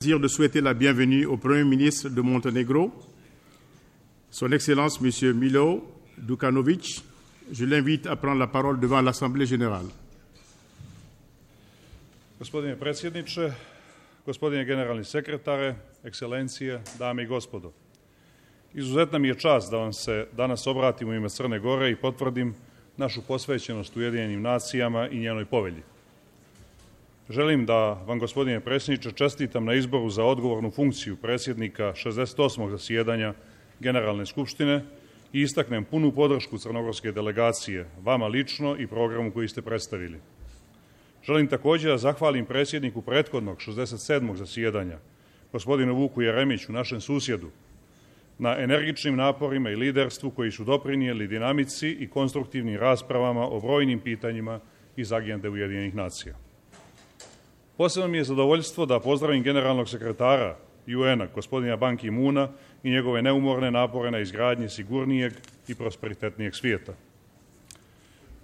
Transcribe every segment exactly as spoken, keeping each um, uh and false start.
De souhaiter la bienvenue au Premier ministre de Monténégro, Son Excellence M. Milo Đukanović. Je l'invite à prendre la parole devant l'Assemblée générale. Gospodine predsjedniče, gospodine generalni sekretare, ekscelencije, dame i gospodo. Izuzetna mi je čast da vam se danas obratim u ime Crne Gore i potvrdim našu posvećenost Ujedinjenim nacijama i njenoj povelji. Želim da vam, gospodine predsjedniče, čestitam na izboru za odgovornu funkciju predsjednika šezdeset osmog zasjedanja Generalne skupštine i istaknem punu podršku crnogorske delegacije, vama lično i programu koji ste predstavili. Želim također da zahvalim predsjedniku prethodnog šezdeset sedmog zasjedanja, gospodinu Vuku Jeremiću, našem susjedu, na energičnim naporima i liderstvu koji su doprinijeli dinamici i konstruktivnim raspravama o brojnim pitanjima iz agende Ujedinjenih nacija. Posebno mi je zadovoljstvo da pozdravim generalnog sekretara U N-a, gospodina Ban Ki-moona, i njegove neumorne napore na izgradnji sigurnijeg i prosperitetnijeg svijeta.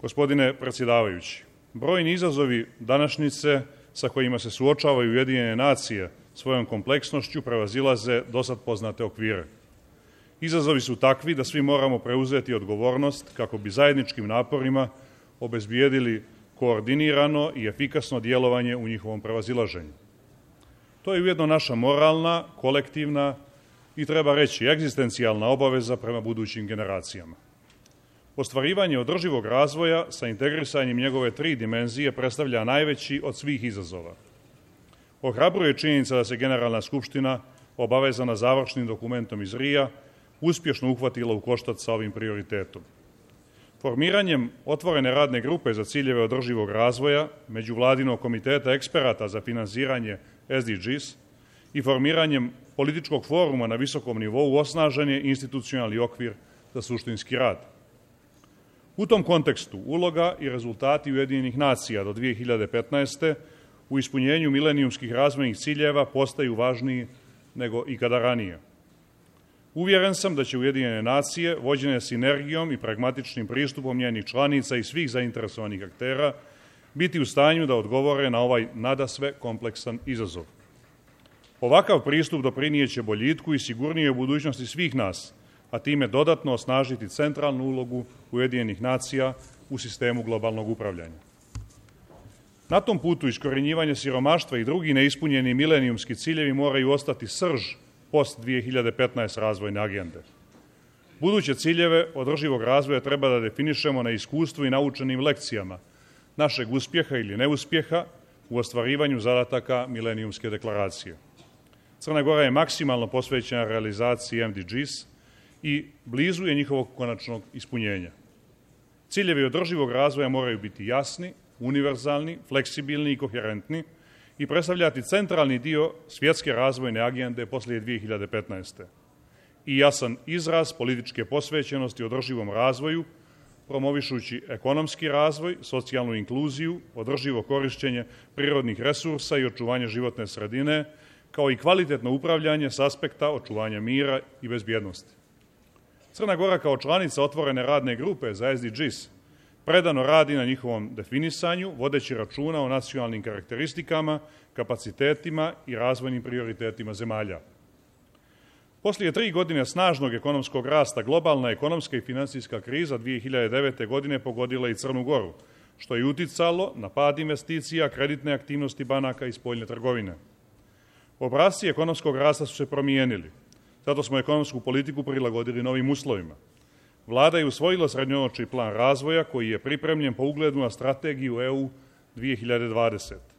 Gospodine predsjedavajući, brojni izazovi današnjice sa kojima se suočavaju Ujedinjene nacije svojom kompleksnošću prevazilaze dosad poznate okvire. Izazovi su takvi da svi moramo preuzeti odgovornost kako bi zajedničkim naporima obezbijedili koordinirano i efikasno djelovanje u njihovom prevazilaženju. To je ujedno naša moralna, kolektivna i, treba reći, egzistencijalna obaveza prema budućim generacijama. Ostvarivanje održivog razvoja sa integrisanjem njegove tri dimenzije predstavlja najveći od svih izazova. Ohrabruje činjenica da se Generalna skupština, obavezana završnim dokumentom iz Rija, uspješno uhvatila u koštac sa ovim prioritetom. Formiranjem otvorene radne grupe za ciljeve održivog razvoja, Međuvladinog komiteta eksperata za finansiranje S D Gs i formiranjem političkog foruma na visokom nivou osnažen je institucionalni okvir za suštinski rad. U tom kontekstu uloga i rezultati Ujedinjenih nacija do dvije hiljade petnaeste. u ispunjenju milenijumskih razvojnih ciljeva postaju važniji nego ikada ranije. Uvjeren sam da će Ujedinjene nacije, vođene sinergijom i pragmatičnim pristupom njenih članica i svih zainteresovanih aktera, biti u stanju da odgovore na ovaj nadasve kompleksan izazov. Ovakav pristup doprinijeće boljitku i sigurnijoj budućnosti svih nas, a time dodatno osnažiti centralnu ulogu Ujedinjenih nacija u sistemu globalnog upravljanja. Na tom putu iskorjenjivanje siromaštva i drugi neispunjeni milenijumski ciljevi moraju ostati srž post dvije hiljade petnaeste. razvojne agende. Buduće ciljeve održivog razvoja treba da definišemo na iskustvu i naučenim lekcijama našeg uspjeha ili neuspjeha u ostvarivanju zadataka milenijumske deklaracije. Crna Gora je maksimalno posvećena realizaciji M D Gs i blizu je njihovog konačnog ispunjenja. Ciljevi održivog razvoja moraju biti jasni, univerzalni, fleksibilni i koherentni i predstavljati centralni dio svjetske razvojne agende poslije dvije hiljade petnaeste. i jasan izraz političke posvećenosti održivom razvoju, promovišući ekonomski razvoj, socijalnu inkluziju, održivo korišćenje prirodnih resursa i očuvanje životne sredine, kao i kvalitetno upravljanje s aspekta očuvanja mira i bezbjednosti. Crna Gora kao članica otvorene radne grupe za S D Gs predano radi na njihovom definisanju, vodeći računa o nacionalnim karakteristikama, kapacitetima i razvojnim prioritetima zemalja. Poslije tri godine snažnog ekonomskog rasta, globalna ekonomska i financijska kriza dvije hiljade devete. godine pogodila i Crnu Goru, što je uticalo na pad investicija, kreditne aktivnosti banaka i spoljne trgovine. Obrasci ekonomskog rasta su se promijenili, zato smo ekonomsku politiku prilagodili novim uslovima. Vlada je usvojila srednjoročni plan razvoja koji je pripremljen po ugledu na strategiju E U dvije hiljade dvadesete.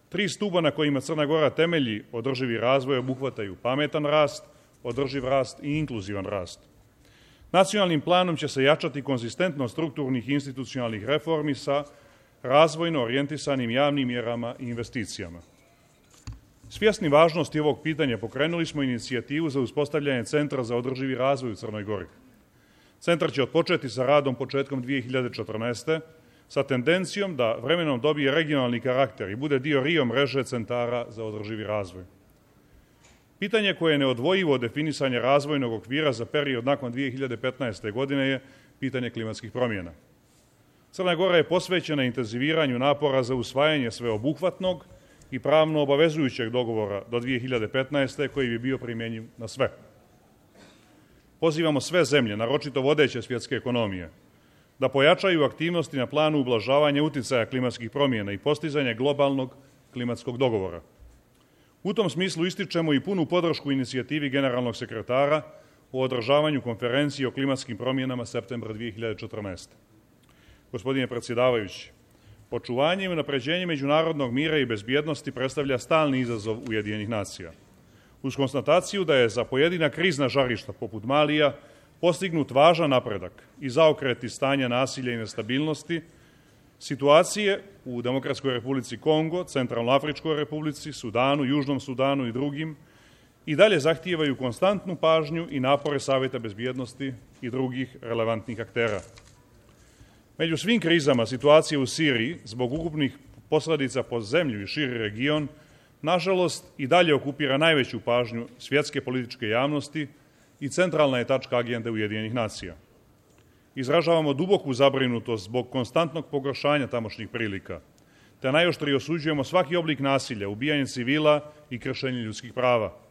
Tri stuba na kojima Crna Gora temelji održivi razvoj obuhvataju pametan rast, održiv rast i inkluzivan rast. Nacionalnim planom će se jačati konzistentnost strukturnih i institucionalnih reformi sa razvojno orijentisanim javnim mjerama i investicijama. Svjesni važnosti ovog pitanja pokrenuli smo inicijativu za uspostavljanje Centra za održivi razvoj u Crnoj Gori. Centar će otpočeti sa radom početkom dvije hiljade četrnaeste. sa tendencijom da vremenom dobije regionalni karakter i bude dio Rio mreže centara za održivi razvoj. Pitanje koje je neodvojivo od definisanja razvojnog okvira za period nakon dvije hiljade petnaeste. godine je pitanje klimatskih promjena. Crna Gora je posvećena intenziviranju napora za usvajanje sveobuhvatnog i pravno obavezujućeg dogovora do dvije hiljade petnaeste. koji bi bio primjenjiv na sve. Pozivamo sve zemlje, naročito vodeće svjetske ekonomije, da pojačaju aktivnosti na planu ublažavanja uticaja klimatskih promjena i postizanja globalnog klimatskog dogovora. U tom smislu ističemo i punu podršku inicijativi generalnog sekretara o održavanju konferencije o klimatskim promjenama septembra dvije hiljade četrnaeste. Gospodine predsjedavajući, očuvanje i unapređenje međunarodnog mira i bezbjednosti predstavlja stalni izazov Ujedinjenih nacija. Uz konstataciju da je za pojedina krizna žarišta poput Malija postignut važan napredak i zaokreti stanja nasilja i nestabilnosti, situacije u Demokratskoj Republici Kongo, Centralnoafričkoj Republici, Sudanu, Južnom Sudanu i drugim i dalje zahtijevaju konstantnu pažnju i napore Savjeta bezbjednosti i drugih relevantnih aktera. Među svim krizama situacije u Siriji, zbog ukupnih posljedica po zemlju i širi region, nažalost i dalje okupira najveću pažnju svjetske političke javnosti i centralna je tačka agende Ujedinjenih nacija. Izražavamo duboku zabrinutost zbog konstantnog pogoršanja tamošnjih prilika, te najoštrije osuđujemo svaki oblik nasilja, ubijanje civila i kršenje ljudskih prava.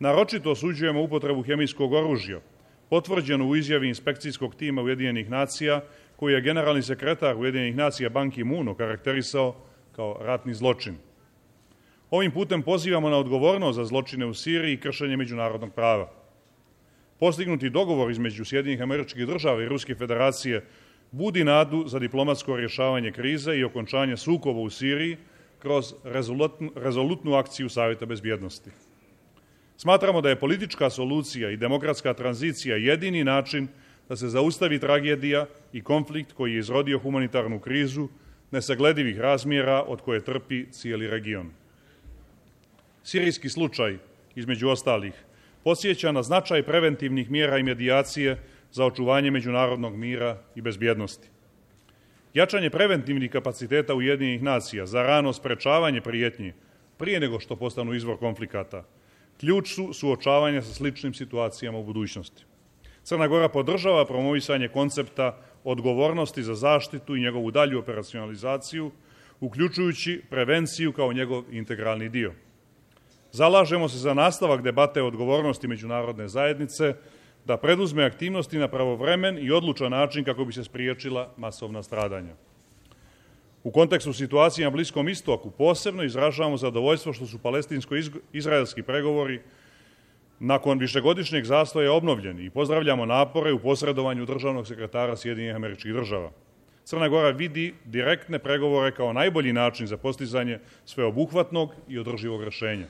Naročito osuđujemo upotrebu hemijskog oružja, potvrđenu u izjavi inspekcijskog tima Ujedinjenih nacija, koji je generalni sekretar Ujedinjenih nacija Ban Ki-moon okarakterisao kao ratni zločin. Ovim putem pozivamo na odgovornost za zločine u Siriji i kršenje međunarodnog prava. Postignuti dogovor između Sjedinjenih Američkih Država i Ruske Federacije budi nadu za diplomatsko rješavanje krize i okončanje sukoba u Siriji kroz rezolutnu, rezolutnu akciju Savjeta bezbjednosti. Smatramo da je politička solucija i demokratska tranzicija jedini način da se zaustavi tragedija i konflikt koji je izrodio humanitarnu krizu nesagledivih razmjera od koje trpi cijeli region. Sirijski slučaj, između ostalih, podsjeća na značaj preventivnih mjera i medijacije za očuvanje međunarodnog mira i bezbjednosti. Jačanje preventivnih kapaciteta Ujedinjenih nacija za rano sprečavanje prijetnji prije nego što postanu izvor konflikata ključ su suočavanja sa sličnim situacijama u budućnosti. Crna Gora podržava promovisanje koncepta odgovornosti za zaštitu i njegovu dalju operacionalizaciju, uključujući prevenciju kao njegov integralni dio. Zalažemo se za nastavak debate o odgovornosti međunarodne zajednice da preduzme aktivnosti na pravovremen i odlučan način kako bi se spriječila masovna stradanja. U kontekstu situacije na Bliskom istoku posebno izražavamo zadovoljstvo što su palestinsko-izraelski pregovori nakon višegodišnjeg zastoja obnovljeni i pozdravljamo napore u posredovanju državnog sekretara Sjedinjenih Američkih Država. Crna Gora vidi direktne pregovore kao najbolji način za postizanje sveobuhvatnog i održivog rješenja.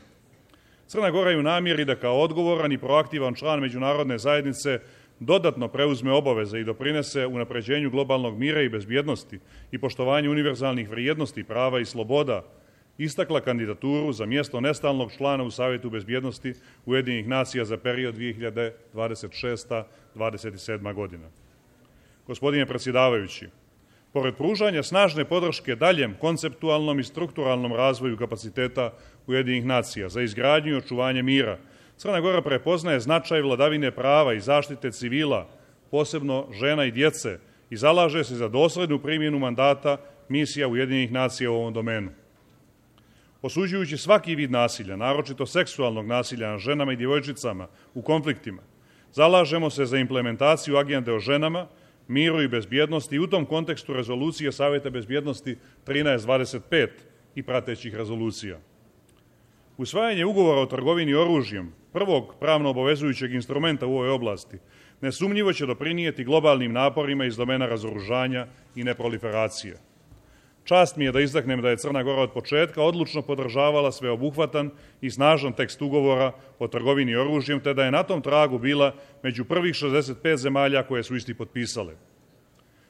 Crna Gora je u namjeri da kao odgovoran i proaktivan član međunarodne zajednice dodatno preuzme obaveze i doprinese unapređenju globalnog mira i bezbjednosti i poštovanju univerzalnih vrijednosti, prava i sloboda, istakla kandidaturu za mjesto nestalnog člana u Savjetu bezbjednosti Ujedinjenih nacija za period dvije hiljade dvadeset šesta do dvadeset sedma. godina. Gospodine predsjedavajući, pored pružanja snažne podrške daljem konceptualnom i strukturalnom razvoju kapaciteta Ujedinjenih nacija za izgradnju i očuvanje mira, Crna Gora prepoznaje značaj vladavine prava i zaštite civila, posebno žena i djece, i zalaže se za dosljednu primjenu mandata misija Ujedinjenih nacija u ovom domenu. Osuđujući svaki vid nasilja, naročito seksualnog nasilja nad ženama i djevojčicama u konfliktima, zalažemo se za implementaciju agende o ženama, miru i bezbjednosti i u tom kontekstu rezolucije Savjeta bezbjednosti trinaest dvadeset pet i pratećih rezolucija. Usvajanje ugovora o trgovini oružjem, prvog pravno obavezujućeg instrumenta u ovoj oblasti, nesumnjivo će doprinijeti globalnim naporima iz domena razoružanja i neproliferacije. Čast mi je da istaknem da je Crna Gora od početka odlučno podržavala sveobuhvatan i snažan tekst ugovora o trgovini oružjem, te da je na tom tragu bila među prvih šezdeset pet zemalja koje su isti potpisale.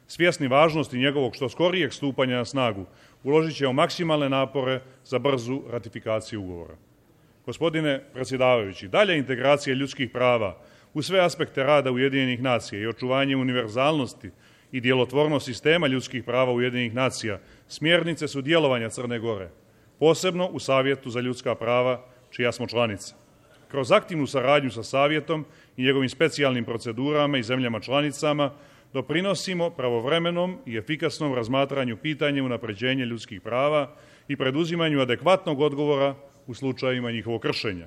Svjesni važnosti njegovog što skorijeg stupanja na snagu, uložit ćemo maksimalne napore za brzu ratifikaciju ugovora. Gospodine predsjedavajući, dalje integracija ljudskih prava u sve aspekte rada Ujedinjenih nacija i očuvanje univerzalnosti i djelotvornost sistema ljudskih prava Ujedinjenih nacija smjernice su djelovanja Crne Gore, posebno u Savjetu za ljudska prava, čija smo članica. Kroz aktivnu saradnju sa Savjetom i njegovim specijalnim procedurama i zemljama članicama doprinosimo pravovremenom i efikasnom razmatranju pitanja unapređenja ljudskih prava i preduzimanju adekvatnog odgovora u slučajima njihovog kršenja.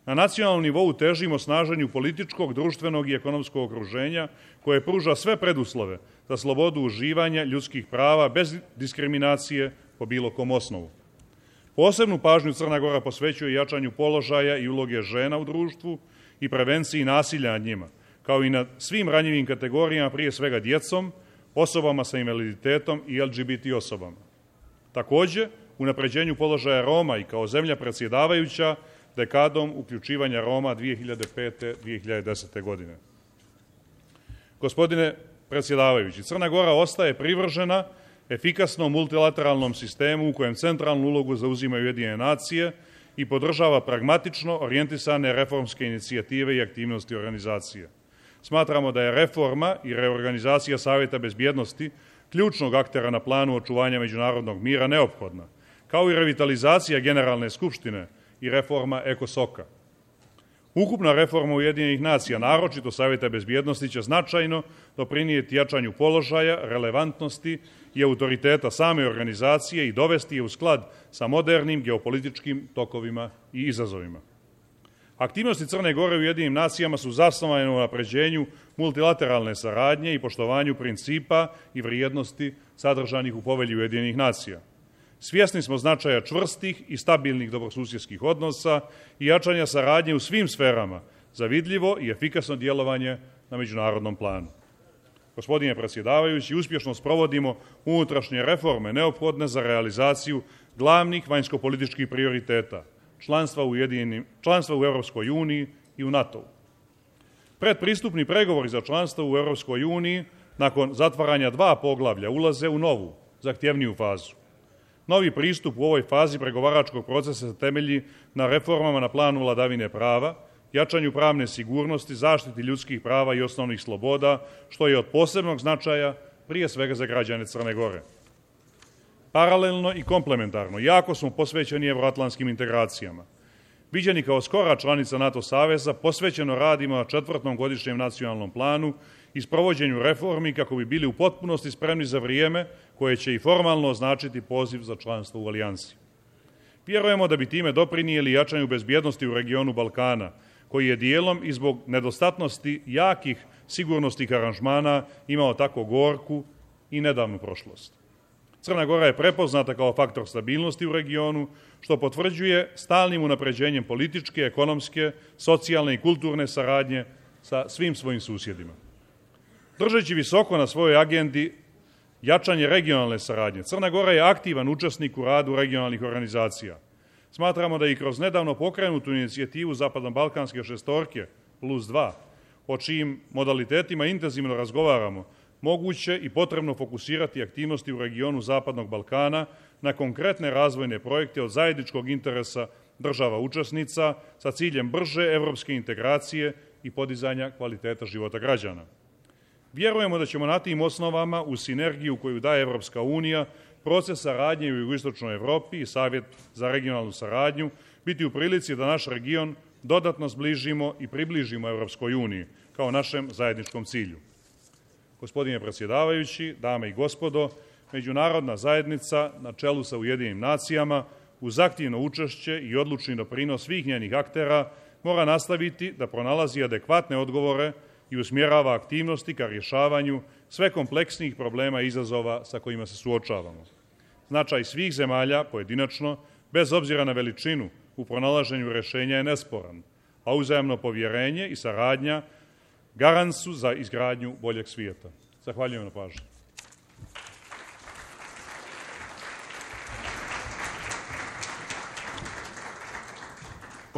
Na nacionalnom nivou težimo snaženju političkog, društvenog i ekonomskog okruženja koje pruža sve preduslove za slobodu uživanja ljudskih prava bez diskriminacije po bilo kom osnovu. Posebnu pažnju Crna Gora posvećuje jačanju položaja i uloge žena u društvu i prevenciji nasilja nad njima, kao i nad svim ranjivim kategorijama, prije svega djecom, osobama sa invaliditetom i L G B T osobama. Također, unapređenju položaja Roma i kao zemlja predsjedavajuća dekadom uključivanja Roma dvije hiljade pete do dvije hiljade desete. godine. Gospodine predsjedavajući, Crna Gora ostaje privržena efikasnom multilateralnom sistemu u kojem centralnu ulogu zauzimaju Ujedinjene nacije i podržava pragmatično orijentisane reformske inicijative i aktivnosti organizacije. Smatramo da je reforma i reorganizacija Savjeta bezbjednosti ključnog aktera na planu očuvanja međunarodnog mira neophodna, kao i revitalizacija Generalne skupštine i reforma ECOSOC-a. Ukupna reforma Ujedinjenih nacija, naročito Savjeta bezbjednosti, će značajno doprinijeti jačanju položaja, relevantnosti i autoriteta same organizacije i dovesti je u sklad sa modernim geopolitičkim tokovima i izazovima. Aktivnosti Crne Gore u Ujedinjenim nacijama su zasnovane na unapređenju multilateralne saradnje i poštovanju principa i vrijednosti sadržanih u Povelji Ujedinjenih nacija. Svjesni smo značaja čvrstih i stabilnih dobrosusjedskih odnosa i jačanja saradnje u svim sferama za vidljivo i efikasno djelovanje na međunarodnom planu. Gospodine predsjedavajući, uspješno sprovodimo unutrašnje reforme neophodne za realizaciju glavnih vanjsko-političkih prioriteta, članstva u, članstva u Europskoj uniji i u NATO-u. Predpristupni pregovori za članstvo u Europskoj uniji nakon zatvaranja dva poglavlja ulaze u novu, zahtjevniju fazu. Novi pristup u ovoj fazi pregovaračkog procesa se temelji na reformama na planu vladavine prava, jačanju pravne sigurnosti, zaštiti ljudskih prava i osnovnih sloboda, što je od posebnog značaja prije svega za građane Crne Gore. Paralelno i komplementarno, jako smo posvećeni evroatlantskim integracijama. Viđeni kao skora članica NATO saveza, posvećeno radimo na četvrtom godišnjem nacionalnom planu i sprovođenju reformi kako bi bili u potpunosti spremni za vrijeme koje će i formalno označiti poziv za članstvo u alijansi. Vjerujemo da bi time doprinijeli jačanju bezbjednosti u regionu Balkana, koji je dijelom i zbog nedostatnosti jakih sigurnosnih aranžmana imao tako gorku i nedavnu prošlost. Crna Gora je prepoznata kao faktor stabilnosti u regionu, što potvrđuje stalnim unapređenjem političke, ekonomske, socijalne i kulturne saradnje sa svim svojim susjedima. Držeći visoko na svojoj agendi jačanje regionalne saradnje, Crna Gora je aktivan učesnik u radu regionalnih organizacija. Smatramo da i kroz nedavno pokrenutu inicijativu Zapadno-balkanske šestorke plus dva, o čijim modalitetima intenzivno razgovaramo, moguće i potrebno fokusirati aktivnosti u regionu Zapadnog Balkana na konkretne razvojne projekte od zajedničkog interesa država učesnica sa ciljem brže evropske integracije i podizanja kvaliteta života građana. Vjerujemo da ćemo na tim osnovama, u sinergiju koju daje Evropska unija, proces saradnje u jugoistočnoj Evropi i Savjet za regionalnu saradnju, biti u prilici da naš region dodatno zbližimo i približimo Evropskoj uniji kao našem zajedničkom cilju. Gospodine predsjedavajući, dame i gospodo, međunarodna zajednica na čelu sa Ujedinjenim nacijama uz aktivno učešće i odlučni doprinos svih njenih aktera mora nastaviti da pronalazi adekvatne odgovore i usmjerava aktivnosti ka rješavanju sve kompleksnijih problema i izazova sa kojima se suočavamo. Značaj svih zemalja pojedinačno, bez obzira na veličinu, u pronalaženju rješenja je nesporan, a uzajamno povjerenje i saradnja garant su za izgradnju boljeg svijeta. Zahvaljujem na pažnji.